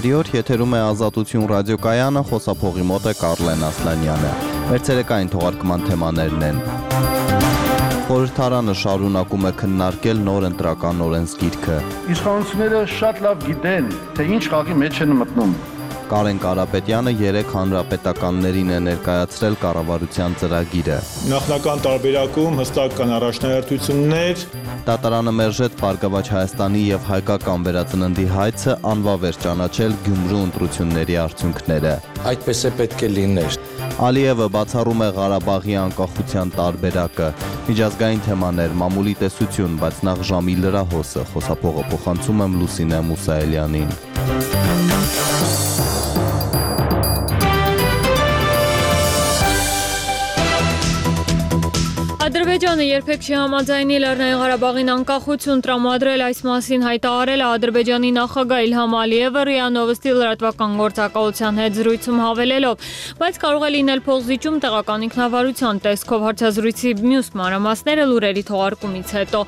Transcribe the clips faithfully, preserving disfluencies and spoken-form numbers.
Բարի օր, եթերում է Ազատություն ռադիոկայանը, խոսափողի մոտ է Կարլեն Ասլանյանը։ Մեր ցերեկային թողարկման թեմաներն են. Խորհրդարանը շարունակում է քննարկել նոր ընտրական օրենսգիրքը։ Իշխանությունները շատ լավ գիտեն, թե ինչ խաղի մեջ են մտնում։ Կարեն Կարապետյանը երեք հանրապետականներին է ներկայացրել կառավարության ծրագիրը։ Նախնական տարբերակում հստակ կան առաջնահերթություններ։ Դատարանը մերժեց Բարգավաճ Հայաստանի եւ հայկական վերածննդի հայցը անվավեր ճանաչել Գյումրու ընտրությունների արդյունքները։ Այդպես է պետք է լիներ։ Ալիևը բացառում է Ղարաբաղի անկախության տարբերակը։ Միջազգային թեմաներ, մամուլի տեսություն, բայց նախ ժամի լրահոսը, խոսափողը փոխանցում եմ Լուսինե Մուսայելյանին։ Ադրբեջանը երբեք չի համաձայնի Լեռնային Ղարաբաղին անկախություն տրամադրել, այս մասին հայտարարել է Ադրբեջանի նախագահ Իլհամ Ալիևը ՌԻԱ Նովոստի լրատվական գործակալության հետ զրույցում հավելելով, բայց կարող է լինել փոխզիջում տեղական ինքնավարության տեսքով հարցազրույցի մյուս մանրամասները լուրերի թողարկումից հետո։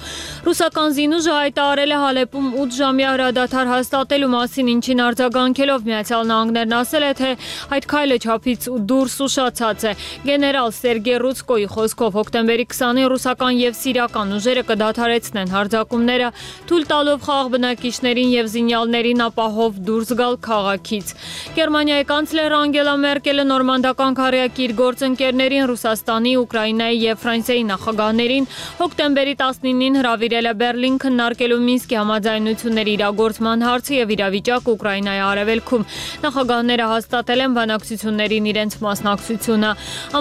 Ռուսական Զինուժը հայտարարել է Հալեպում ութ ժամյա հրադադար հաստատելու մասին, ինչին արձագանքելով Միացյալ Նահանգներն ասել է, թե այդ քայլը չափից դուրս ուշացած է։ Գեներալ Սերգեյ Ռուցկոյի խոսքով հոկտեմբերի քսանին ռուսական եւ սիրիական ուժերը կդադարեցնեն հարձակումները, թույլ տալով խաղաղ բնակիչներին եւ զինյալներին ապահով դուրս գալ քաղաքից։ Գերմանիայի կանցլեր Անգելա Մերկելը նորմանդական քարյակի իր գործընկերներին Ռուսաստանի, Ուկրաինայի եւ Ֆրանսիայի նախագահներին հոկտեմբերի տասնինին հրավիրել է Բերլին քննարկելու Մինսկի համաձայնությունների իրագործման հարցը եւ իրավիճակը Ուկրաինայի արևելքում։ Նախագահները հաստատել են բանակցություններին իրենց մասնակցությունը։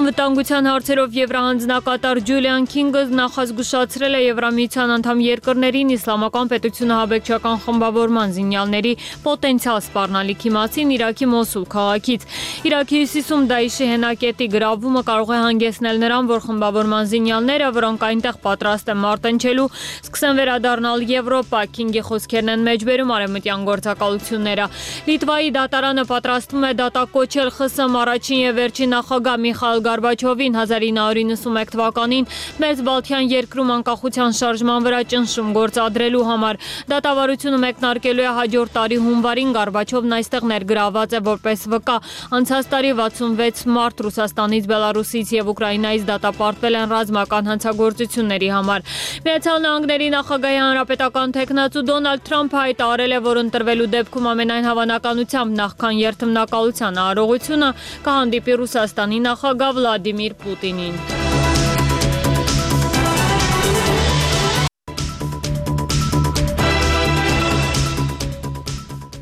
Անվտանգության հարցերով Եվրահանձնակատար Ջուլիան Քինգը նախազգուշացրել է Եվրամիության անդամ երկրներին իսլամական պետությունը հաբեկչական խմբավորման զինյալների պոտենցիալ սպառնալիքի մասին Իրաքի Մոսուլ քաղաքից։ Իրաքի հյուսիսում Դաիշի հենակետի գրավումը կարող է հանգեցնել նրան, որ խմբավորման զինյալները, որոնք այնտեղ պատրաստ են մարտնչելու, սկսեն վերադառնալ Եվրոպա։ Քինգի խոսքերն են մեջբերում արևմտյան գործակալությունները։ Լիտվայի դատարանը պատրաստվում է դատակոչել ԽՍՀՄ առաջին եւ վերջին նախագահ Միխայիլ Գորբաչովին հազար ինը հարյուր իննսունմեկ թվականին Մեծ Բալթյան երկրում անկախության շարժման վրա ճնշում գործադրելու համար։ Դատավարությունը մեկնարկելու է հաջորդ տարի հունվարին։ Գորբաչովն այստեղ ներգրավված է որպես վկա։ Անցած տարի վաթսունվեց մարդ Ռուսաստանից, Բելարուսից եւ Ուկրաինայից դատապարտվել են ռազմական հանցագործությունների համար։ Միացյալ Նահանգների նախագահի հանրապետական թեկնածու Դոնալդ Թրամփը հայտարարել է, որ ընտրվելու դեպքում ամենայն հավանականությամբ նախքան երթմնակալության արարողությունը կհանդիպի Ռուսաստանի նախագահ Վլադիմիր Պուտինին։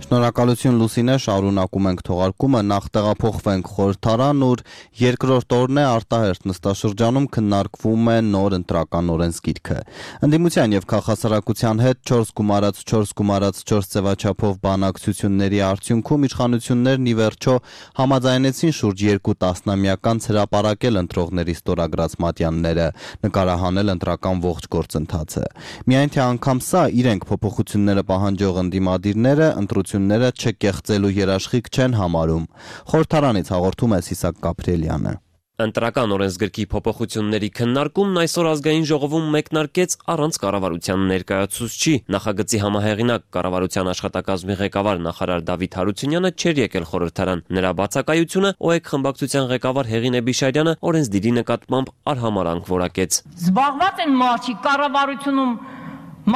Շնորհակալություն Լուսինե, շարունակում ենք թողարկումը, նախ տեղափոխվենք խորհրդարան, ուր երկրորդ օրն է արտահերթ նստաշրջանում քննարկվում է նոր ընտրական օրենսգիրքը։ Ընդդիմության եւ քաղաքասարակության հետ չորս գումարած չորս գումարած չորս ձևաչափով բանակցությունների արդյունքում իշխանություններն ի վերջո համաձայնեցին շուրջ երկու տասնամյական հրապարակել ընտրողների ստորագրած մատյանները, նկարահանել ընտրական ողջ գործընթացը։ Միայն թե անգամ սա իրենք փոփոխությունները պահանջող ընդդիմադիրները ընտրություն չկեղծելու երաշխիք չեն համարում։ Խորհրդարանից հաղորդում է Սիսակ Գաբրիելյանը։ Ընտրական օրենսգրքի փոփոխությունների քննարկումն այսօր ազգային ժողովում մեկնարկեց առանց կառավարության ներկայացուցչի։ Նախագծի համահեղինակ կառավարության աշխատակազմի ղեկավար նախարար Դավիթ Հարությունյանը չէր եկել խորհրդարան։ Նրա բացակայությունը ՕԵԿ խմբակցության ղեկավար Հեղինե Բիշարյանը օրենսդիրի նկատմամբ արհամարանք որակեց։ Զբաղված են մարդիկ կառավարությունում,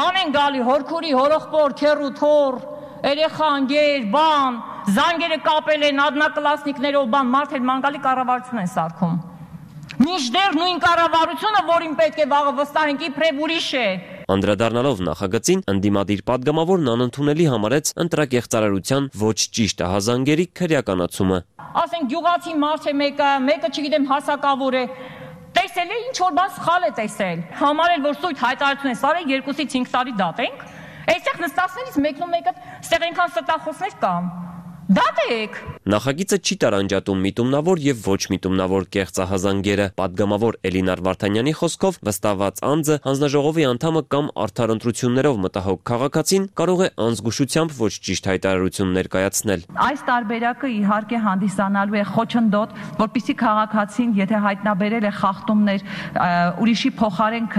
ման են գալի հորքուրի, հորոխբոր, քերու, թոր երեխա, ընկեր, բան, զանգերը կապել են ադնակլասնիկներով, բան, մարդեր մանգալի կառավարություն են սարքում։ Մինչդեռ նույն կառավարությունը, որին պետք է վաղը վստահենք, իբրև ուրիշ է։ Անդրադառնալով նախագծին, ընդդիմադիր պատգամավորն անընդունելի համարեց ընտրակեղծարարության ոչ ճիշտ ահազանգերի քրեականացումը։ Ասենք գյուղացի մարդ է մեկը, մեկը չգիտեմ հասակավոր է, տեսել է ինչ որ բան սխալ է տեսել։ Համարել, որ սույթ հայտարարություն է սարել, երկուսից հինգ տարի դատենք։ Այստեղ նստածներից մեկն ու մեկը ստեղ այնքան ստախոսներ կան։ Դատեք։ Նախագիծը չի տարանջատում միտումնավոր եւ ոչ միտումնավոր կեղծահազանգերը։ Պատգամավոր Էլինար Վարդանյանի խոսքով վստահված անձը, հանձնաժողովի անդամը կամ արդար ընտրություններով մտահոգ քաղաքացին կարող է անզգուշությամբ ոչ ճիշտ հայտարարություն ներկայացնել։ Այս տարբերակը իհարկե հանդիսանալու է խոչընդոտ, որպեսզի քաղաքացին, եթե հայտնաբերել է խախտումներ, ուրիշի փոխարեն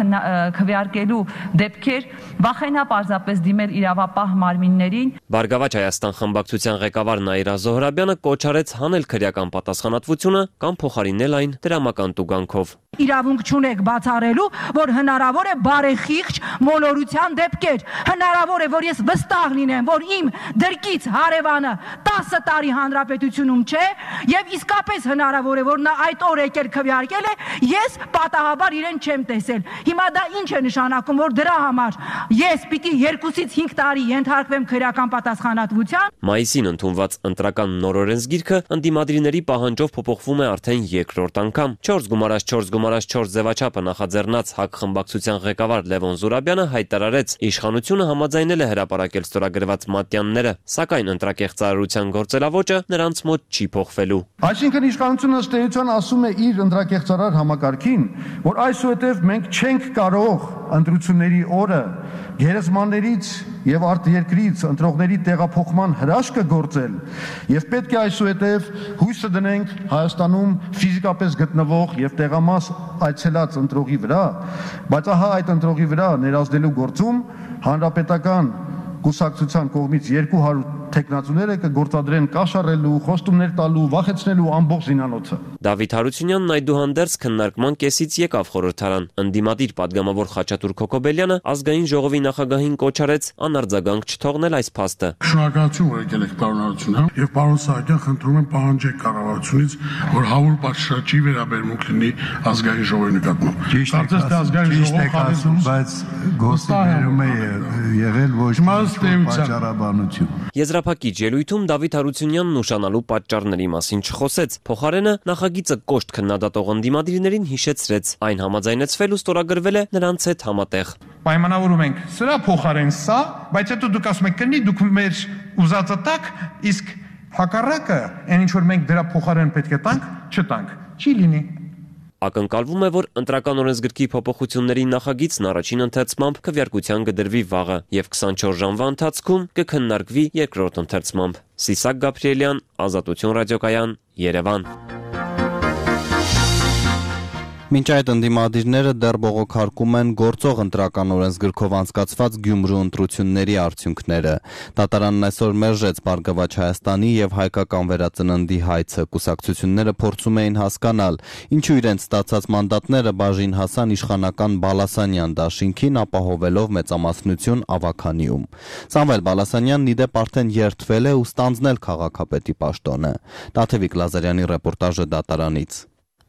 քվեարկելու դեպքեր, վախենա պարզապես դիմել իրավապահ մարմիններին։ Բարգավաճ Հայաստան խմբակցության ղեկավար Նաիրա Զոհրաբյանը կոչ արեց հանել քրեական պատասխանատվությունը կամ փոխարինել այն դրամական տուգանքով։ Իրավունք չունեք բացառելու, որ հնարավոր է բարեխիղճ մոլորության դեպքեր։ Հնարավոր է, որ ես վստահ լինեմ, որ իմ դրկից հարևանը տասը տարի հանրապետությունում չէ, եւ իսկապես հնարավոր է, որ նա այդ օր եկել քվեարկել է, ես պատահաբար իրեն չեմ տեսել։ Հիմա դա ինչ է նշանակում, որ դրա համար ես պիտի երկուսից հինգ տարի ենթարկվեմ քրեական պատասխանատվության։ Մայիսին ընդունված ընտրական նոր օրենսգիրքը ընդդիմադիրների պահանջով փոփոխվում է արդեն երկրորդ անգամ։ չորս գումարած չորս գումարած չորս ձևաչափը նախաձեռնած ՀԱԿ խմբակցության ղեկավար Լևոն Զուրաբյանը հայտարարեց, իշխանությունը համաձայնել է հրապարակել ստորագրված մատյանները, սակայն ընտրակեղծարարության գործելավոճը նրանց մոտ չի փոխվելու։ Այսինքն իշխանությունը ըստ էության ասում է իր ընտրակեղծարար համակարգին, որ այսուհետև մենք չենք կարող ընտրությունների օրը գերեզմաններից եւ արտերկրից ընտրողների տեղափոխման հրաշքը գործել եւ պետք է այսուհետև հույսը դնենք Հայաստանում ֆիզիկապես գտնվող եւ տեղամաս այցելած ընտրողի վրա, բայց ահա այդ ընտրողի վրա ներազդելու գործում հանրապետական կուսակցության կողմից երկու հարյուր տեխնացուները կգործադրեն կաշառելու, խոստումներ տալու, վախեցնելու ամբողջ զինանոցը։ Դավիթ Հարությունյանն այդուհանդերձ քննարկման կեսից եկավ խորհրդարան։ Ընդդիմադիր պատգամավոր Խաչատուր Քոքոբելյանը ազգային ժողովի նախագահին կոչ արեց անարձագանք չթողնել այս փաստը։ Շնորհակալություն, որ եկել եք պարոն Հարությունյան, եւ պարոն Սահակյան, խնդրում եմ պահանջեք կառավարությունից, որ հավուր պատշաճի վերաբերմունք լինի ազգային ժողովի նկատմամբ։ Կարծես թե ազգային ժողովը, բայց գործը վերում է եղել ոչ պատճառաբանություն։ Եզրափակիչ ելույթում Դավիթ Հարությունյանն ուշանալու պատճառների մասին չխոսեց։ Փոխարենը նախագիծը կոշտ քննադատող ընդդիմադիրներին հիշեցրեց, այն համաձայնեցվել ու ստորագրվել է նրանց հետ համատեղ։ Պայմանավորում ենք սրա փոխարեն սա, բայց հետո դուք ասում եք կնի, դուք մեր ուզածը տաք, իսկ հակառակը, այն ինչ որ մենք դրա փոխարեն պետք է տանք, չտանք։ Չի լինի։ Ակնկալվում է, որ ընտրական օրենսգրքի փոփոխությունների նախագիծն առաջին ընթերցմամբ քվեարկության կդրվի վաղը եւ քսանչորս ժամվա ընթացքում կքննարկվի երկրորդ ընթերցմամբ։ Սիսակ Գաբրիելյան, Ազատություն ռադիոկայան, Երևան։ Մինչ այդ ընդդիմադիրները դեռ բողոքարկում են գործող ընտրական օրենսգրքով անցկացված Գյումրու ընտրությունների արդյունքները։ Դատարանն այսօր մերժեց Բարգավաճ Հայաստանի եւ Հայկական վերածննդի հայցը։ Կուսակցությունները փորձում էին հասկանալ, ինչու իրենց ստացած մանդատները բաժին հասան իշխանական Բալասանյան դաշինքին, ապահովելով մեծամասնություն Ավագանիում։ Սամվել Բալասանյանն իդեպ արդեն երդվել է ու ստանձնել քաղաքապետի պաշտոնը։ Տաթևիկ Լազարյանի ռեպորտաժը դատարանից։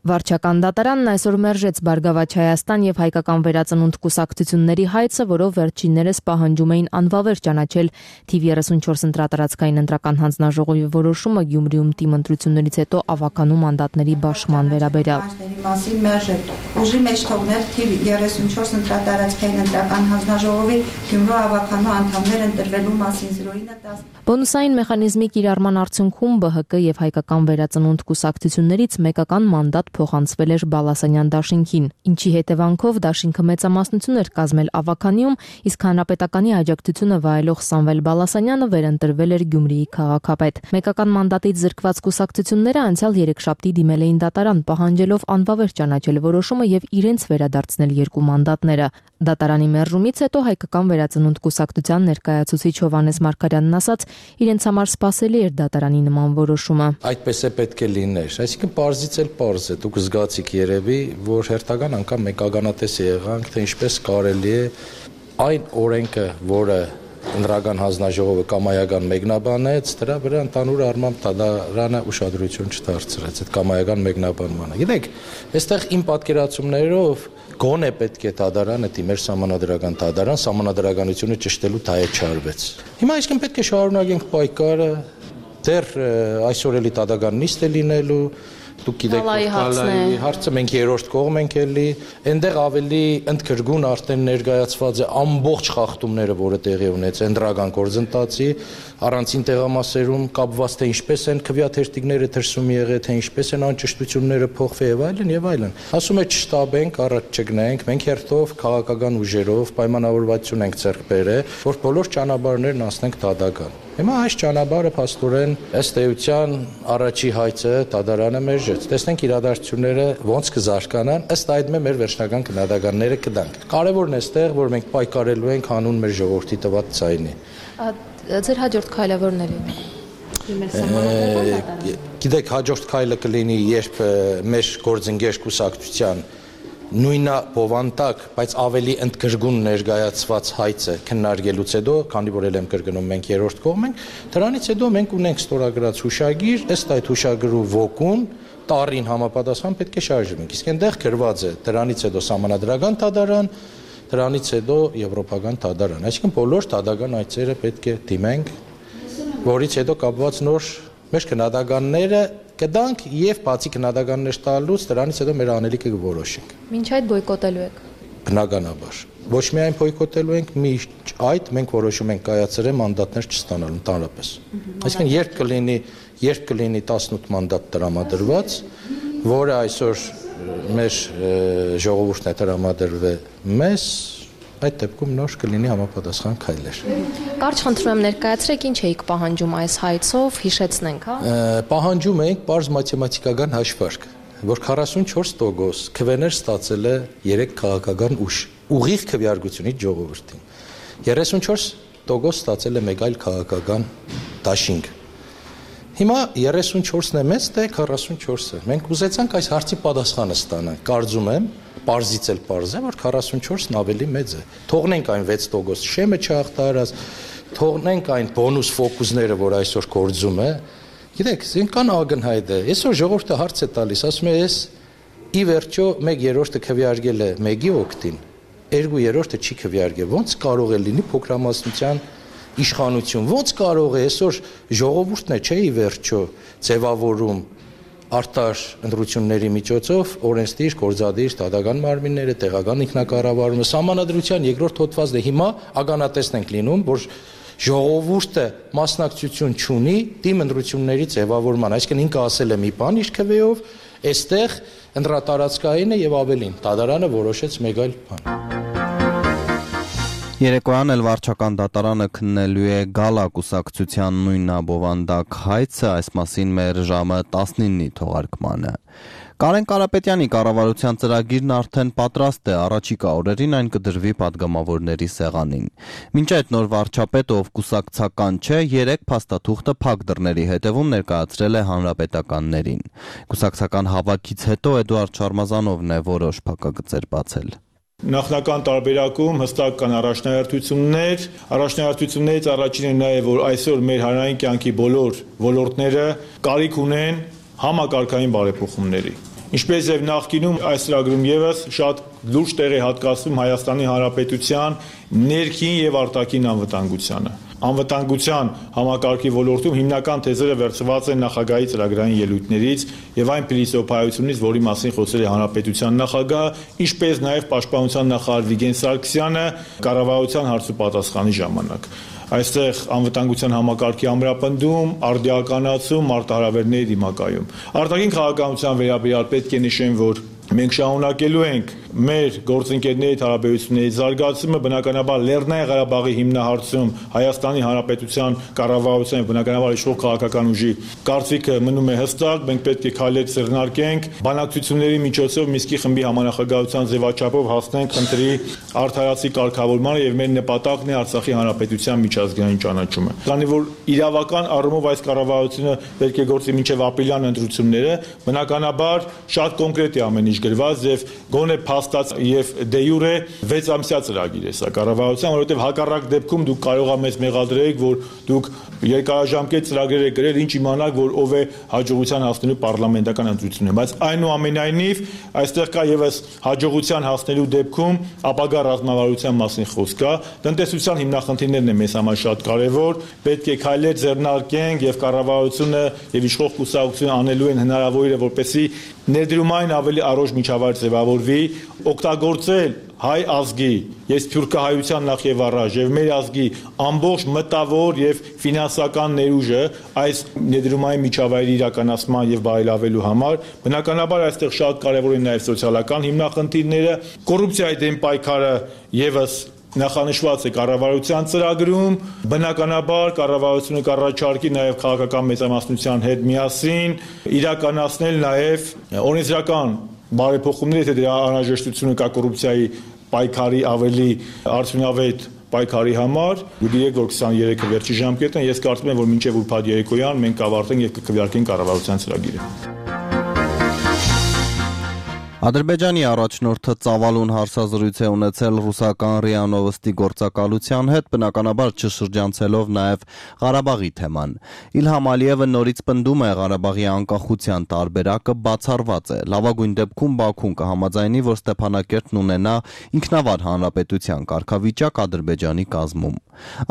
Վարչական դատարանն այսօր մերժեց Բարգավաճ Հայաստան եւ Հայկական վերածնունդ կուսակցությունների հայցը, որով վերջիններս պահանջում էին անվավեր ճանաչել թիվ երեսունչորս ընտրատարածքային ընտրական հանձնաժողովի որոշումը Գյումրիում թիմ ընտրություններից հետո Ավագանու մանդատների բաշխման վերաբերյալ։ Մասին մերժել ուժի մեջ թողնել թիվ երեսունչորս ընտրատարածքային ընտրական հանձնաժողովի Գյումրու Ավագանու անդամներ ընտրվելու մասին զրույցը տաս։ Բոնուսային մեխանիզմի կիրառման արդյունքում ԲՀԿ եւ Հայկական վերածնունդ կուսակցություններից մեկական մանդատ փոխանցվել էր Բալասանյան դաշինքին, ինչի հետևանքով դաշինքը մեծամասնություն էր կազմել Ավագանիում, իսկ հանրապետականի աջակցությունը վայելող Սամվել Բալասանյանը վերընտրվել էր Գյումրիի քաղաքապետ։ Մեկական մանդատից զրկված կուսակցությունները անցյալ երեքշաբթի դիմել էին դատարան, պահանջելով անվավեր ճանաչել որոշումը եւ իրենց վերադարձնել երկու մանդատները։ Դատարանի մերժումից հետո Հայկական վերածնունդ կուսակցության ներկայացուցիչ Հովհաննես Մարգարյանն ասաց, իրենց համար սպասելի էր դատարանի նման որոշումը։ Այդպես է պետք է լիներ, այսինքն պարզից էլ պարզ է, դուք զգացիք երևի, որ հերթական անգամ մեկ ականատես եղանք, թե ինչպես կարելի է այն օրենքը, որը ընտրական հանձնաժողովը կամայական մեկնաբանեց, դրա վրա ընդհանուր առմամբ դատարանը ուշադրություն չդարձրեց այդ կամայական մեկնաբանմանը։ Գիտեք, այստեղ իմ պատկերացումներով գոնե պետք է դատարանը դիմեր սահմանադրական դատարան, սահմանադրականությունը ճշտելու թայը չարվեց։ Հիմա այսինքն պետք է շարունակենք պայքարը, դեռ այսօր էլի դատական նիստ է լինելու, Դուք գիտեք, Կալայի հարցը մենք երրորդ կողմ ենք էլի, այնտեղ ավելի ընդգրկուն արդեն ներկայացված է ամբողջ խախտումները, որը տեղի ունեց ընդրական գործընթացի, առանցին տեղամասերում կապված թե ինչպես են քվեաթերթիկները դրսում եղել, թե ինչպես են անճշտությունները փոխվել եւ այլն եւ այլն։ Ասում է չշտաբենք, առաջ չգնենք, մենք հերթով քաղաքական ուժերով պայմանավորվածություն ենք ձեռք բերել, որ բոլոր ճանապարհներն անցնենք դատական։ Հիմա այս ճանապարհը փաստորեն ըստ էության առաջի հայցը դատարանը մերժեց։ Տեսնենք իրադարձությունները ոնց կզարգանան, ըստ այդմ է մեր վերջնական քննադատականները կդանք։ Կարևորն է այստեղ, որ մենք պայքարելու ենք հանուն մեր ժողովրդի տված ցայնի։ Ձեր հաջորդ քայլը որն է լինի։ Գիտեք, հաջորդ քայլը կլինի, երբ մեր գործընկեր կուսակցության նույնա բովանդակ, բայց ավելի ընդգրկուն ներկայացված հայցը քննարկելուց հետո, քանի որ ել եմ կրկնում մենք երրորդ կողմ ենք, դրանից հետո մենք ունենք ստորագրած հուշագիր, ըստ այդ հուշագրու ոգուն տարին համապատասխան պետք է շարժվենք։ Իսկ այնտեղ գրված է դրանից հետո սահմանադրական դատարան, դրանից հետո եվրոպական դատարան։ Այսինքն բոլոր դատական այցերը պետք է դիմենք, որից հետո կապված նոր մեր քննադատականները կդանք եւ բացի քննադատականներ տալուց դրանից հետո մեր անելիքը կորոշենք։ Մինչ այդ բոյկոտելու եք։ Բնականաբար։ Ոչ միայն բոյկոտելու ենք, միշտ այդ մենք որոշում ենք կայացրել մանդատներ չստանալու ընդհանրապես։ Այսինքն երբ կլինի, երբ կլինի տասնութ մանդատ տրամադրված, որը այսօր մեր ժողովուրդն է տրամադրվել մեզ, այդ դեպքում նոր կլինի համապատասխան քայլեր։ Կարճ խնդրում եմ ներկայացրեք ինչ էիք պահանջում այս հայցով, հիշեցնենք, հա։ Պահանջում ենք պարզ մաթեմատիկական հաշվարկ, որ քառասունչորս տոկոս քվեներ ստացել է երեք քաղաքական ուժ, ուղիղ քվեարկությունից ժողովրդին։ երեսունչորս տոկոս ստացել է մեկ այլ քաղաքական դաշինք։ Հիմա երեսունչորսն է մեծ, թե քառասունչորսը։ Մենք ուզեցանք այս հարցի պատասխանը ստանանք։ Կարծում եմ, պարզից էլ պարզ է, որ քառասունչորսն ավելի մեծ է։ Թողնենք այն վեց տոկոս շեմը չհաղթարած, թողնենք այն բոնուս ֆոկուսները, որ այսօր գործում է։ Գիտեք, ինքան ակնհայտ է։ Այսօր ժողովուրդը հարց է տալիս, ասում է, ես ի վերջո մեկ երրորդը քվեարկել է մեկի օգտին, երկու երրորդը չի քվեարկել։ Ոնց կարող է լինի փոքրամասնության իշխանություն, ոնց կարող է այսօր ժողովուրդն է, չէ՞ ի վերջո ձևավորում արտար ընտրությունների միջոցով օրենսդիր, գործադիր, դատական մարմինները, տեղական ինքնակառավարումը, սահմանադրության երկրորդ հոդվածն է հիմա ականատեսն ենք լինում, որ ժողովուրդը մասնակցություն չունի դիմ ընտրությունների ձևավորման, այսինքն ինքը ասել է մի բան իր քվեով, այստեղ ընտրատարածքային է եւ ավելին, դատարանը որոշեց մեկ այլ բան։ Երեկոյան էլ վարչական դատարանը քննելու է գալա կուսակցության նույնաբովանդակ հայցը, այս մասին մեր ժամը տասնինի թողարկմանը։ Կարեն Կարապետյանի կառավարության ծրագիրն արդեն պատրաստ է, առաջիկա օրերին այն կդրվի падգամավորների սեղանին։ Մինչ այդ նոր վարչապետը, ով կուսակցական չէ, երեք փաստաթուղթը փակ դռների հետևում ներկայացրել է հանրապետականներին։ Կուսակցական հավաքից հետո Էդուարդ Շարմազանովն է որոշ փակագծեր բացել։ Նախնական տարբերակում հստակ կան առաջնահերթություններ, առաջնահերթություններից առաջինը նա է, որ այսօր մեր հանրային կյանքի բոլոր ոլորտները կարիք ունեն համակարգային բարեփոխումների։ Ինչպես եւ նախկինում այս ծրագրում եւս շատ լուրջ տեղ է հատկացվում Հայաստանի Հանրապետության ներքին եւ արտաքին անվտանգությանը։ Անվտանգության համակարգի ոլորտում հիմնական թեզերը վերցված են նախագահի ծրագրային ելույթներից եւ այն փիլիսոփայությունից, որի մասին խոսել է Հանրապետության նախագահը, ինչպես նաեւ Պաշտպանության նախարար Վիգեն Սարգսյանը կառավարության հարցու պատասխանի ժամանակ։ Այստեղ անվտանգության համակարգի ամրապնդում, արդիականացում, արտահրավերների դիմակայում։ Արտաքին քաղաքականության վերաբերյալ պետք է նշեմ, որ մենք շարունակելու ենք մեր գործընկերների հարաբերությունների զարգացումը, բնականաբար Լեռնային Ղարաբաղի հիմնահարցում Հայաստանի Հանրապետության կառավարության եւ բնականաբար իշխող քաղաքական ուժի կարծիքը մնում է հստակ, մենք պետք է քայլեր ձեռնարկենք, բանակցությունների միջոցով Մինսկի խմբի համանախագահության ձևաչափով հասնենք խնդրի արդարացի կարգավորմանը եւ մեր նպատակն է Արցախի Հանրապետության միջազգային ճանաչումը։ Քանի որ իրավական առումով այս կառավարությունը պետք է գործի մինչեւ ապրիլյան ընտրությունները, բնականաբար շատ կոնկրետ է ամեն ինչ գրված եւ գոնե փաստաց եւ դե յուրե վեց ամսյա ծրագիր է սա կառավարության, որովհետեւ հակառակ դեպքում դուք կարող եք մեզ մեղադրեք, որ դուք երկարաժամկետ ծրագրեր եք գրել, ինչ իմանաք, որ ով է հաջողության հասնելու պարլամենտական ընտրությունները, բայց այնուամենայնիվ այստեղ կա եւս հաջողության հասնելու դեպքում ապագա ռազմավարության մասին խոսք կա, տնտեսության հիմնախնդիրներն են մեզ համար շատ կարեւոր, պետք է քայլեր ձեռնարկենք եւ կառավարությունը եւ իշխող կուսակցությունը անելու են հնարավորինը, որպեսզի ներդրումային ավելի առողջ միջավայր ձևավորվի, օգտագործել հայ ազգի, ես սփյուռքահայության նախ եւ առաջ եւ մեր ազգի ամբողջ մտավոր եւ ֆինանսական ներուժը այս ներդրումային միջավայրի իրականացման եւ բարելավելու համար, բնականաբար այստեղ շատ կարեւոր են նաեւ սոցիալական հիմնախնդիրները, կոռուպցիայի դեմ պայքարը եւս նախանշված է կառավարության ծրագրում, բնականաբար կառավարությունը կառաջարկի նաև քաղաքական մեծամասնության հետ միասին իրականացնել նաև օրենսդրական բարեփոխումներ, եթե դրա անհրաժեշտությունը կա կոռուպցիայի պայքարի ավելի արդյունավետ պայքարի համար, գիտեք, որ քսաներեքը վերջի ժամկետն է, ես կարծում եմ, որ մինչև ուրբաթ երեկոյան մենք կավարտենք եւ կքվեարկենք կառավարության ծրագիրը։ Ադրբեջանի առաջնորդը ծավալուն հարցազրույց է ունեցել ռուսական ՌԻԱ Նովոստի գործակալության հետ, բնականաբար չշրջանցելով նաև Ղարաբաղի թեման։ Իլհամ Ալիևը նորից պնդում է Ղարաբաղի անկախության տարբերակը բացառված է։ Լավագույն դեպքում Բաքուն կհամաձայնի, որ Ստեփանակերտն ունենա ինքնավար հանրապետության կարգավիճակ Ադրբեջանի կազմում։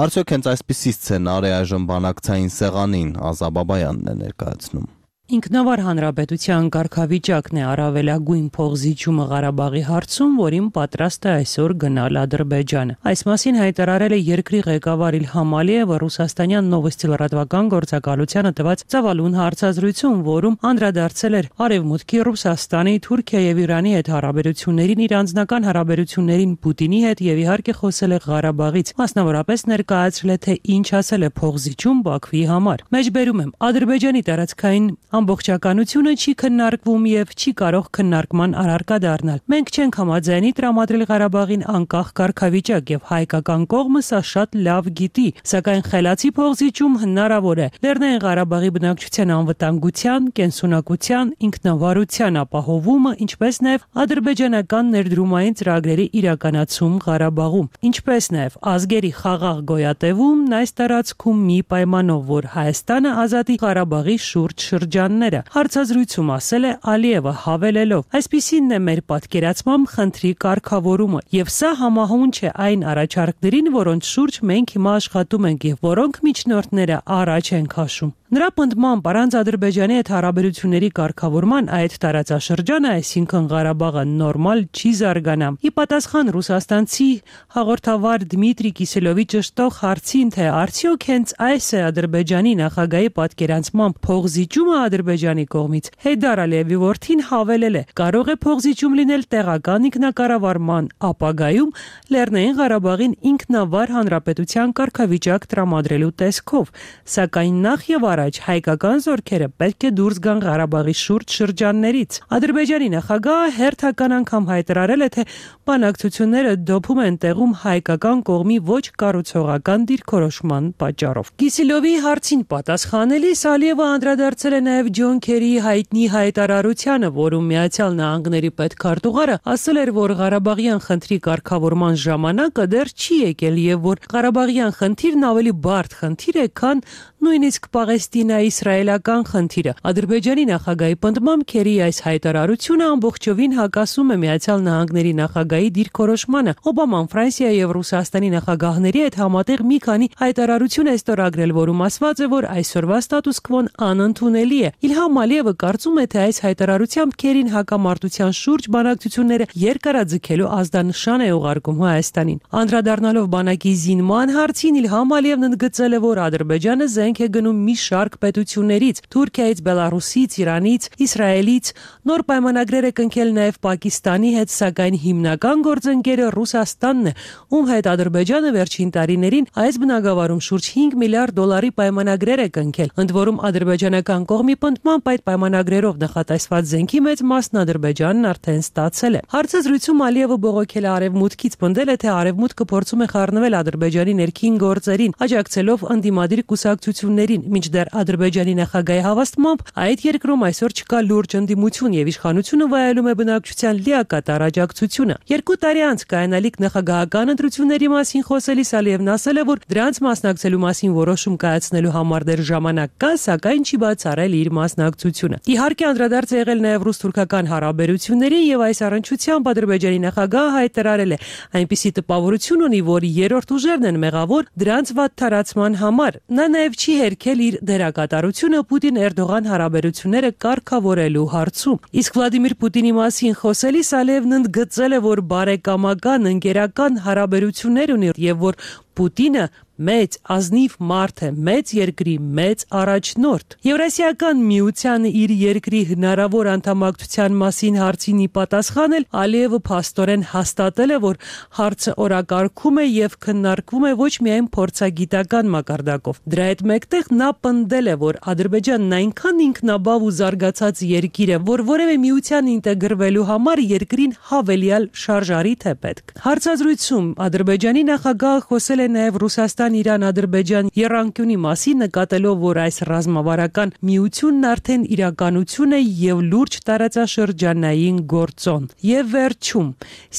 Արդյոք հենց այսպիսի սցենար է այժմ բանակցային սեղանին, Ազա Բաբայանն է ներկայացնում։ Ինքնավար հանրապետության կարգավիճակն է առավելագույն փողզիջումը Ղարաբաղի հարցում, որին պատրաստ է այսօր գնալ Ադրբեջանը։ Այս մասին հայտարարել է երկրի ղեկավար Իլհամ Ալիևը ռուսաստանյան Նովոստի լրատվական գործակալությանը տված ծավալուն հարցազրույցում, որում անդրադարձել էր Արևմուտքի, Ռուսաստանի, Թուրքիա եւ Իրանի հետ հարաբերություններին, իր անձնական հարաբերություններին Պուտինի հետ եւ իհարկե խոսել է Ղարաբաղից, մասնավորապես ներկայացրել է, թե ինչ ասել է փողզիջում Բաքվի համար։ Մեջբերում եմ, Ադրբեջանի տարածքային ամբողջականությունը չի քննարկվում եւ չի կարող քննարկման առարկա դառնալ։ Մենք չենք համաձայնի տրամադրել Ղարաբաղին անկախ կարգավիճակ եւ հայկական կողմը սա շատ լավ գիտի, սակայն խելացի փողզիջում հնարավոր է Լեռնային Ղարաբաղի բնակչության անվտանգության, կենսունակության, ինքնավարության ապահովումը, ինչպես նաեւ ադրբեջանական ներդրումային ծրագրերի իրականացում Ղարաբաղում, ինչպես նաեւ ազգերի խաղաղ գոյատևումն այս տարածքում մի պայմանով, որ Հայաստանը ազատի Ղարաբաղի շուրջ շրջան Հարցազրույցում ասել է Ալիևը հավելելով. այսպիսինն է մեր պատկերացմամբ խնդրի կարգավորումը եւ սա համահունչ է այն առաջարկներին, որոնց շուրջ մենք հիմա աշխատում ենք եւ որոնք միջնորդները առաջ են քաշում։ Նրա պնդմամբ առանց Ադրբեջանի հետ հարաբերությունների կարգավորման այդ տարածաշրջանը, այսինքն Ղարաբաղը նորմալ չի զարգանա։ Ի պատասխան ռուսաստանցի հաղորդավար Դմիտրի Կիսելովի ճշտող հարցին, թե արդյոք հենց այս է Ադրբեջանի նախագահի պատկերանցմամբ փողզիջումը Ադրբեջանի կողմից, Հեյդար Ալիևի որդին հավելել է. կարող է փողզիջում լինել տեղական ինքնակառավարման ապագայում Լեռնային Ղարաբաղին ինքնավար հանրապետության կարգավիճակ տրամադրելու տեսքով, սակայն նախ եւ առաջ հայկական զորքերը պետք է դուրս գան Ղարաբաղի շուրջ շրջաններից։ Ադրբեջանի նախագահը հերթական անգամ հայտարարել է, թե բանակցությունները դոփում են տեղում հայկական կողմի ոչ կառուցողական դիրքորոշման պատճառով։ Կիսելովի հարցին պատասխանելիս Ալիևը անդրադարձել է նաև Ջոն Քերիի հայտնի հայտարարությանը, որում Միացյալ Նահանգների պետքարտուղարը ասել էր, որ Ղարաբաղյան խնդրի կարգավորման ժամանակը դեռ չի եկել եւ որ Ղարաբաղյան խնդիրն ավելի բարդ խնդիր է, քան նույնիսկ Պաղեստինա-իսրայելական խնդիրը։ Ադրբեջանի նախագահի պնդմամբ Քերիի այս հայտարարությունը ամբողջովին հակասում է Միացյալ Նահանգների նախագահի դիրքորոշմանը։ Օբաման Ֆրանսիայի եւ Ռուսաստանի նախագահների հետ համատեղ մի քանի հայտարարություն է ստորագրել, որում ասված է, որ այսօրվա ստատուս քվոն անընդունելի է։ Իլհամ Ալիևը կարծում է, թե այս հայտարարությամբ Քերին հակամարտության շուրջ բանակցությունները երկարաձգելու ազդանշան է ուղարկում Հայաստանին։ Անդրադառնալով բանակի զինման հարցին, Իլհամ Ալիևն ընդգծել է, որ Ադրբեջանը զենք է գնում մի շարք պետություններից՝ Թուրքիայից, Բելարուսից, Իրանից, Իսրայելից, նոր պայմանագրեր է կնքել նաև Պակիստանի հետ, սակայն հիմնական գործընկերը Ռուսաստանն է, ում հետ Ադրբեջանը վերջին տարիներին այս բնագավառում շուրջ հինգ միլիարդ դոլարի պայմանագրեր է կնքել։ Ընդ որում ադրբեջանական կողմի պնդմամբ այդ պայմանագրերով նախատեսված զենքի մեծ մասն Ադրբեջանն արդեն ստացել է։ Հարցազրույցում Ալիևը բողոքել է Արևմուտքից, պնդել է, թե Արևմուտքը փորձում է խառնվել Ադրբեջանի ներքին գործերին, աջակցելով ընդդիմադիր կուսակցություններին, մինչդեռ Բախտիար Ադրբեջանի նախագահի հավաստմամբ այդ երկրում այսօր չկա լուրջ ընդդիմություն եւ իշխանությունը վայելում է բնակչության լիակատար աջակցությունը։ Երկու տարի անց կայանալիք նախագահական ընտրությունների մասին խոսելիս Ալիևն ասել է, որ դրանց մասնակցելու մասին որոշում կայացնելու համար դեռ ժամանակ կա, սակայն չի բացառել իր մասնակցությունը։ Իհարկե անդրադարձ է եղել նաև ռուս-թուրքական հարաբերությունների եւ այս առնչությամբ Ադրբեջանի նախագահը հայտարարել է այնպիսի տպավորություն ունի, որ երրորդ ուժերն են մեղավոր դրանց վատթարացման համար։ Նա նաև չի հերքել իր դերակատարությունը Պուտին-Էրդողան հարաբերությունները կարգավորելու հարցում։ Իսկ Վլադիմիր Պուտինի մասին խոսելիս Ալիևն ընդգծել է, որ բարեկամական, ընկերական հարաբերություններ ունի եւ որ Պուտինը մեծ ազնիվ մարդ է, մեծ երկրի մեծ առաջնորդ։ Եվրասիական միությանը իր երկրի հնարավոր անդամակցության մասին հարցին ի պատասխան էլ Ալիևը փաստորեն հաստատել է, որ հարցը օրակարգում է եւ քննարկվում է ոչ միայն փորձագիտական մակարդակով։ Դրա հետ մեկտեղ նա պնդել է, որ Ադրբեջանն այնքան ինքնաբավ ու զարգացած երկիր է, որ որևէ միության ինտեգրվելու համար երկրին հավելյալ շարժարիթ է պետք։ Հարցազրույցում Ադրբեջանի նախագահը խոսել է նաև Ռուսաստան-Իրան-Ադրբեջան եռանկյունի մասին, նկատելով, որ այս ռազմավարական միությունն արդեն իրականություն է եւ լուրջ տարածաշրջանային գործոն։ Եվ վերջում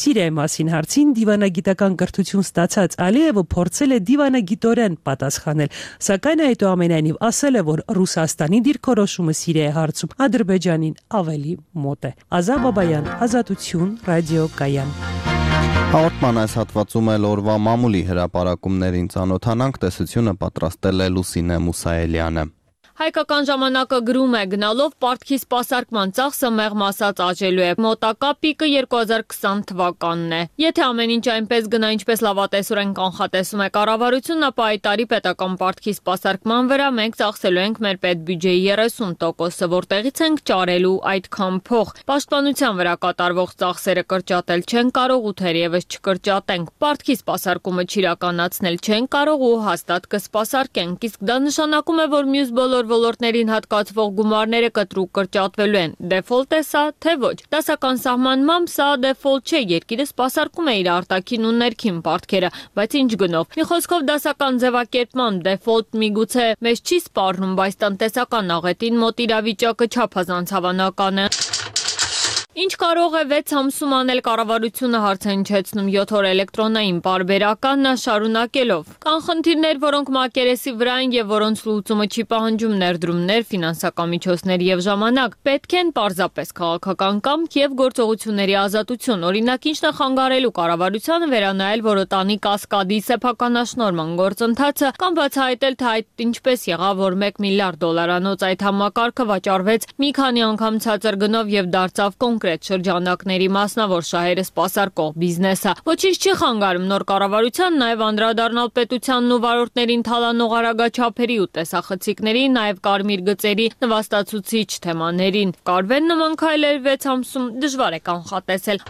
Սիրիայի մասին հարցին դիվանագիտական կրթություն ստացած Ալիևը փորձել է դիվանագիտորեն պատասխանել, սակայն այդուամենայնիվ ասել է, որ Ռուսաստանի դիրքորոշումը Սիրիայի հարցում Ադրբեջանին ավելի մոտ է։ Ազա Բաբայան, Ազատություն, Ռադիո Կայան։ Հաղորդման այս հատվածում էլ օրվա մամուլի հրապարակումներին ծանոթանանք, տեսությունը պատրաստել է Լուսինե Մուսայելյանը։ Հայկական ժամանակը գրում է գնալով պարտքի սպասարկման ծախսը մեղմ ասած աճելու է։ Մոտակա պիկը երկու հազար քսան թվականն է։ Եթե ամեն ինչ այնպես գնա, ինչպես լավատեսորեն կանխատեսում է կառավարությունն, ապա այդ տարի պետական պարտքի սպասարկման վրա մենք ծախսելու ենք մեր պետբյուջեի երեսուն տոկոսը, որտեղից ենք ճարելու այդքան փող։ Պաշտպանության վրա կատարվող ծախսերը կրճատել չեն կարող ու թերևս չկրճատենք։ Պարտքի սպասարկումը չիրականացնել չեն կարող ու հաստատ կսպասարկենք, իսկ դա նշանակում է, որ մյուս բոլոր ոլորտներին հատկացվող գումարները կտրուկ կրճատվելու են։ Դեֆոլտ է սա, թե ոչ։ Դասական սահմանմամբ սա դեֆոլտ չէ, երկիրը սպասարկում է իր արտաքին ու ներքին պարտքերը, բայց ինչ գնով։ Մի խոսքով դասական ձևակերպման դեֆոլտ միգուցե մեզ չի սպառնում, բայց տնտեսական աղետին մոտ իրավիճակը չափազանց հավանական է։ Ինչ կարող է վեց ամսում անել կառավարությունը, հարց է հնչեցնում յոթ օր էլեկտրոնային պարբերականն շարունակելով։ Կան խնդիրներ, որոնք մակերեսի վրա են եւ որոնց լուծումը չի պահանջում ներդրումներ, ֆինանսական միջոցներ եւ ժամանակ։ Պետք են պարզապես քաղաքական կամք եւ գործողությունների ազատություն։ Օրինակ, ինչն է խանգարելու կառավարությանը վերանայել Որոտանի կասկադի սեփականաշնորհման գործընթացը կամ բացահայտել, թե այդ ինչպես եղավ, որ մեկ միլիարդ դոլարանոց այդ համակարգը վաճառվեց մի քանի անգամ ցածր գնով եւ դարձավ կոնկրետ շրջանակների մասնավոր շահերը սպասարկող բիզնեսը։ Ոչինչ չի խանգարում նոր կառավարության նաև անդրադառնալ պետությանն ու վարորդներին թալանող արագաչափերի ու տեսախցիկների, նաև կարմիր գծերի նվաստացուցիչ թեմաներին։ Կարվեն նման քայլեր վեց ամսում դժվար է կանխատեսել։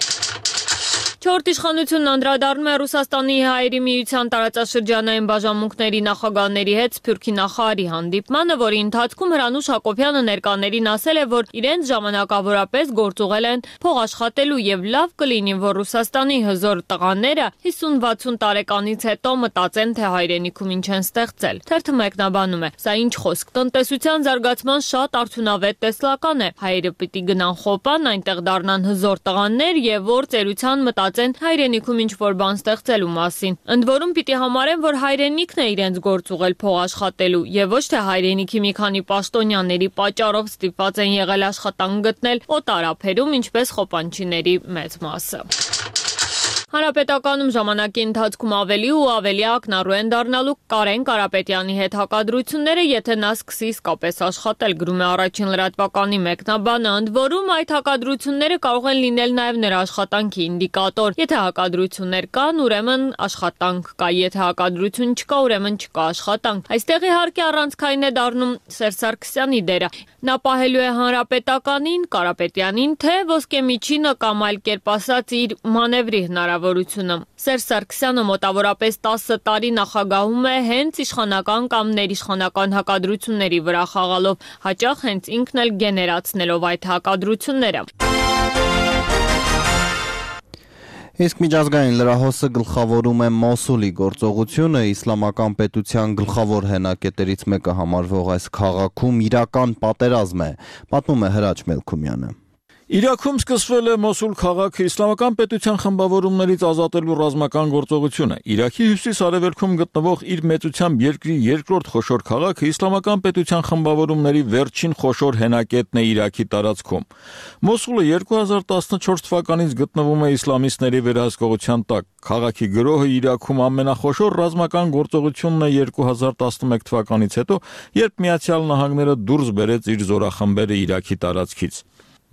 Չորրորդ իշխանությունն անդրադառնում է Ռուսաստանի հայերի միության տարածաշրջանային բաժանմունքների նախագահների հետ Սփյուռքի նախարարի հանդիպմանը, որի ընթացքում Հրանուշ Հակոբյանը ներկաներին ասել է, որ իրենց ժամանակավորապես գործուղել են փող աշխատելու եւ լավ կլինի, որ Ռուսաստանի հզոր տղաները հիսուն-վաթսուն տարեկանից հետո մտածեն, թե հայրենիքում ինչ են ստեղծել։ Թերթը մեկնաբանում է. Սա ինչ խոսք, տնտեսության զարգացման շատ արդյունավետ տեսլական է։ Հայերը պիտի գնան խոպան, այնտեղ դառնան հզոր տղաներ եւ որ ծերության մտածեն հայրենիքում ինչ որ բան ստեղծելու մասին։ Ընդ որում պիտի համարեն, որ հայրենիքն է իրենց գործուղել փող աշխատելու եւ ոչ թե հայրենիքի մի քանի պաշտոնյաների պատճառով ստիպված են եղել աշխատանք գտնել օտարափերում, ինչպես խոպանչիների մեծ մասը։ Հանրապետականում ժամանակի ընթացքում ավելի ու ավելի ակնառու են դառնալու Կարեն Կարապետյանի հետ հակադրությունները, եթե նա սկսի իսկապես աշխատել, գրում է Առաջին լրատվականի մեկնաբանը, ընդ որում այդ հակադրությունները կարող են լինել նաև նրա աշխատանքի ինդիկատոր։ Եթե հակադրություններ կան, ուրեմն աշխատանք կա, եթե հակադրություն չկա, ուրեմն չկա աշխատանք։ Այստեղ իհարկե առանցքային է դառնում Սերժ Սարգսյանի դերը։ Նա պահելու է Հանրապետականին, Կարապետյանին, թե ոսկեմիջինը կամ այլ կերպ ասած իր մանևրի հնարավորությունը։ Սերժ Սարգսյանը մոտավորապես տասը տարի նախագահում է հենց իշխանական կամ ներիշխանական հակադրությունների վրա խաղալով, հաճախ հենց ինքն էլ գեներացնելով այդ հակադրությունները։ Իսկ միջազգային լրահոսը գլխավորում է Մոսուլի գործողությունը, իսլամական պետության գլխավոր հենակետերից մեկը համարվող այս քաղաքում իրական պատերազմ է, պատմում է Հրաչ Մելքումյանը։ Իրաքում սկսվել է Մոսուլ քաղաքը իսլամական պետության խմբավորումներից ազատելու ռազմական գործողությունը։ Իրաքի հյուսիս-արևելքում գտնվող իր մեծությամբ երկրի երկրորդ խոշոր քաղաքը իսլամական պետության խմբավորումների վերջին խոշոր հենակետն է Իրաքի տարածքում։ Մոսուլը երկու հազար տասնչորս թվականից գտնվում է իսլամիստների վերահսկողության տակ։ Քաղաքի գրոհը Իրաքում ամենախոշոր ռազմական գործողությունն է երկու հազար տասնմեկ թվականից հետո, երբ Միացյալ Նահանգները դուրս բերեց իր զորախմբերը Իրաքի տարածքից։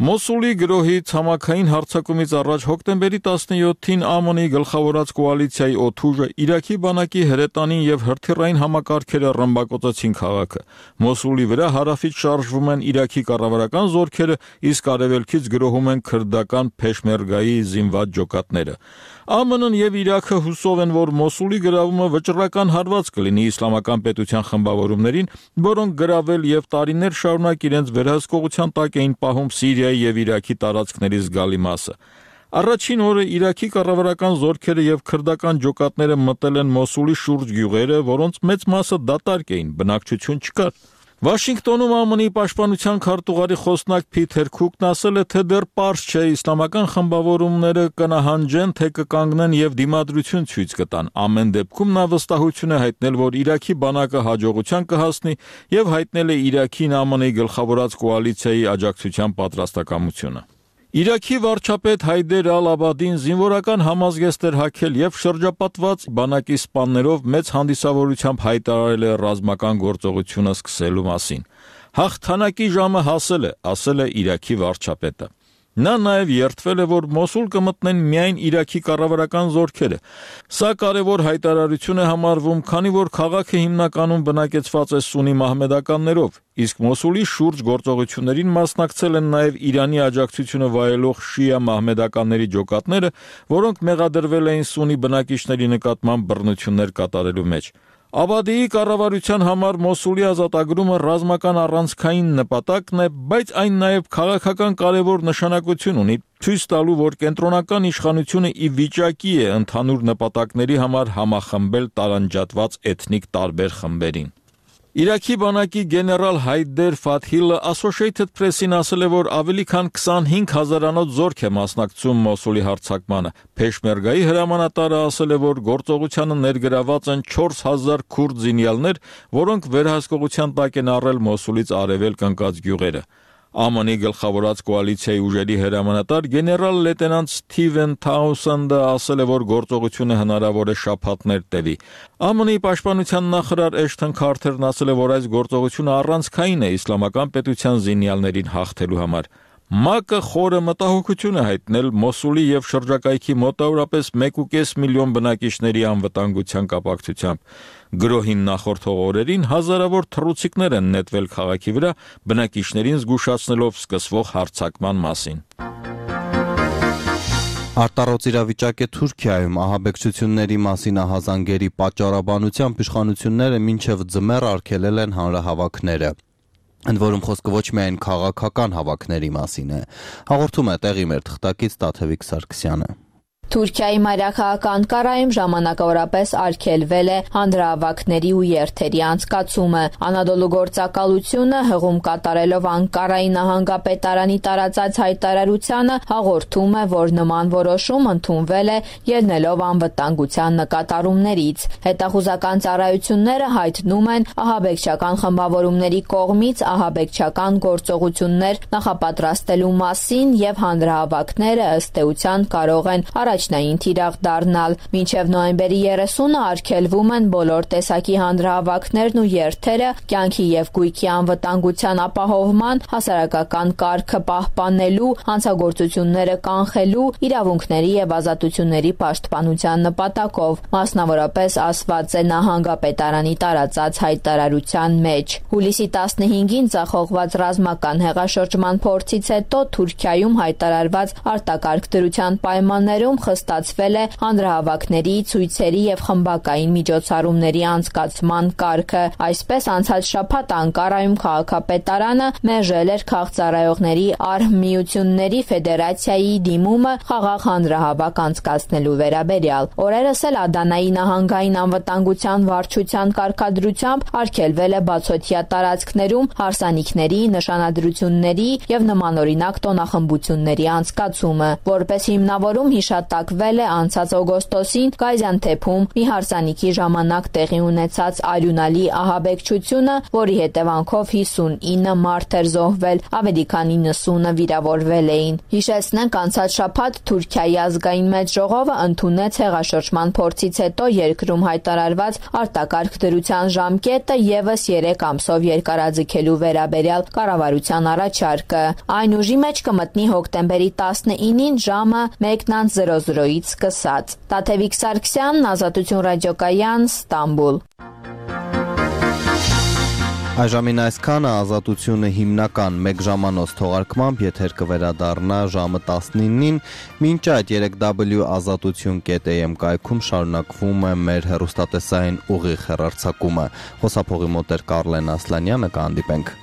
Մոսուլի գրոհի ցամաքային հարձակումից առաջ հոկտեմբերի տասնյոթին ԱՄՆ-ի գլխավորած կոալիցիայի օդուժը Իրաքի բանակի հրետանին եւ հրթիռային համակարգերը ռմբակոծեցին քաղաքը։ Մոսուլի վրա հարավից շարժվում են Իրաքի կառավարական զորքերը, իսկ արևելքից գրոհում են քրդական Փեշմերգայի զինված ջոկատները։ ԱՄՆ-ն եւ Իրաքը հուսով են, որ Մոսուլի գրավումը վճռական հարված կլինի իսլամական պետության խմբավորումներին, որոնք գրավել եւ տարիներ շարունակ իրենց վերահսկողության տակ էին պահում Սիրիայի եւ Իրաքի տարածքների զգալի մասը։ Առաջին օրը Իրաքի կառավարական զորքերը եւ քրդական ջոկատները մտել են Մոսուլի շուրջ գյուղերը, որոնց մեծ մասը դատարկ էին, բնակչություն չկար։ Վաշինգտոնում ԱՄՆ-ի պաշտպանության քարտուղարի խոսնակ Փիթեր Քուքն ասել է, թե դեռ պարզ չէ իսլամական խմբավորումները կնահանջեն, թե կկանգնեն եւ դիմադրություն ցույց կտան։ Ամեն դեպքում նա վստահություն է հայտնել, որ Իրաքի բանակը հաջողության կհասնի եւ հայտնել է Իրաքին ԱՄՆ-ի գլխավորած կոալիցիայի աջակցության պատրաստակամությունը։ Իրաքի վարչապետ Հայդեր Ալ-Աբադին զինվորական համազգեստ էր հագել եւ շրջապատված բանակի սպաներով մեծ հանդիսավորությամբ հայտարարել է ռազմական գործողությունը սկսելու մասին։ Հաղթանակի ժամը հասել է, ասել է Իրաքի վարչապետը։ Նա նաև երդվել է, որ Մոսուլ կմտնեն միայն Իրաքի կառավարական զորքերը։ Սա կարևոր հայտարարություն է համարվում, քանի որ քաղաքը հիմնականում բնակեցված է սուննի մահմեդականներով, իսկ Մոսուլի շուրջ գործողություններին մասնակցել են նաև Իրանի աջակցությունը վայելող շիա մահմեդականների ջոկատները, որոնք մեղադրվել էին սուննի բնակիչների նկատմամբ բռնություններ կատարելու մեջ։ Աբադիի կառավարության համար Մոսուլի ազատագրումը ռազմական առանցքային նպատակն է, բայց այն նաև քաղաքական կարևոր նշանակություն ունի, ցույց տալու, որ կենտրոնական իշխանությունը ի վիճակի է ընդհանուր նպատակների համար համախմբել տարանջատված էթնիկ տարբեր խմբերին։ Իրաքի բանակի գեներալ Հայդեր Ֆաթհիլը Associated Press-ին ասել է, որ ավելի քան քսանհինգ հազարանոց զորք է մասնակցում Մոսուլի հարձակմանը։ Փեշմերգայի հրամանատարը ասել է, որ գործողությանը ներգրաված են չորս հազար քուրդ զինյալներ, որոնք վերահսկողության տակ են առել Մոսուլից արևելք ընկած գյուղերը։ ԱՄՆ-ի գլխավորած կոալիցիայի ուժերի հրամանատար գեներալ լեյտենանտ Սթիվեն Թաուսենդը ասել է, որ գործողությունը հնարավոր է շաբաթներ տևի։ ԱՄՆ-ի պաշտպանության նախարար Էշթոն Քարթերն ասել է, որ այս գործողությունը առանցքային է իսլամական պետության զինյալներին հաղթելու համար։ ՄԱԿ-ը խորը մտահոգություն է հայտնել Մոսուլի եւ շրջակայքի մոտավորապես մեկ ու կես միլիոն բնակիչների անվտանգության կապակցությամբ։ Գրոհին նախորդող օրերին հազարավոր թռուցիկներ են նետվել քաղաքի վրա, բնակիչներին զգուշացնելով սկսվող հարձակման մասին։ Արտառոց իրավիճակ է Թուրքիայում, ահաբեկչությունների մասին ահազանգերի պատճառաբանությամբ իշխանությունները մինչև ձմեռ արգելել են հանրահավաքները։ Ընդ որում խոսքը ոչ միայն քաղաքական հավաքների մասին է, հաղորդում է տեղի մեր թղթակից Տաթևիկ Սարգսյանը։ Թուրքիայի մայրաքաղաք Անկարայում ժամանակավորապես արգելվել է հանրահավաքների ու երթերի անցկացումը։ Անադոլու գործակալությունը հղում կատարելով Անկարայի նահանգապետարանի տարածած հայտարարությանը հաղորդում է, որ նման որոշում ընդունվել է ելնելով անվտանգության նկատառումներից։ Հետախուզական ծառայությունները հայտնում են ահաբեկչական խմբավորումների կողմից ահաբեկչական գործողություններ նախապատրաստելու մասին եւ հանրահավաքները ըստ էության կարող են առաջ առաջնային թիրախ դառնալ։ Մինչև նոյեմբերի երեսունը արգելվում են բոլոր տեսակի հանրահավաքներն ու երթերը կյանքի եւ գույքի անվտանգության ապահովման, հասարակական կարգը պահպանելու, հանցագործությունները կանխելու, իրավունքների եւ ազատությունների պաշտպանության նպատակով, մասնավորապես ասված է նահանգապետարանի տարածած հայտարարության մեջ։ Հուլիսի տասնհինգին ծախողված ռազմական հեղաշրջման փորձից հետո Թուրքիայում հայտարարված արտակարգ դրության պայմաններում նախաստացվել է հանրահավաքների, ցույցերի եւ խմբակային միջոցառումների անցկացման կարգը։ Այսպես անցած շաբաթ Անկարայում քաղաքապետարանը մերժել էր քաղցրայողների արհմիությունների ֆեդերացիայի դիմումը խաղաղ հանրահավաք անցկացնելու վերաբերյալ։ Օրերս էլ Ադանայի նահանգային անվտանգության վարչության կարգադրությամբ արգելվել է բացօթյա տարածքներում հարսանիքների, նշանադրությունների եւ նմանօրինակ տոնախմբությունների անցկացումը։ Որպես հիմնավորում հիշատակվել է անցած օգոստոսին Գազիանթեփում մի հարսանիքի ժամանակ տեղի ունեցած արյունալի ահաբեկչությունը, որի հետևանքով հիսունինը մարդ էր զոհվել, ավելի քան իննսունը վիրավորվել էին։ Հիշեցնենք, անցած շաբաթ Թուրքիայի ազգային մեծ ժողովը ընդունեց հեղաշրջման փորձից հետո երկրում հայտարարված արտակարգ դրության ժամկետը եւս երեք ամսով երկարաձգելու վերաբերյալ կառավարության առաջարկը։ Այն ուժի մեջ կմտնի հոկտեմբերի տասնինին ժամը մեկն զրո զրոից սկսած։ Տաթևիկ Սարգսյան, Ազատություն ռադիոկայան, Ստամբուլ։ Այժմին այսքանը Ազատությունը հիմնական մեկ ժամանոց թողարկմամբ եթեր կվերադառնա ժամը տասնինին, մինչ այդ երեք w ազատություն կետ a m կայքում շարունակվում է մեր հեռուստատեսային ուղիղ հեռարձակումը։ Խոսափողի մոտ էր Կարլեն Ասլանյանը, կհանդիպենք։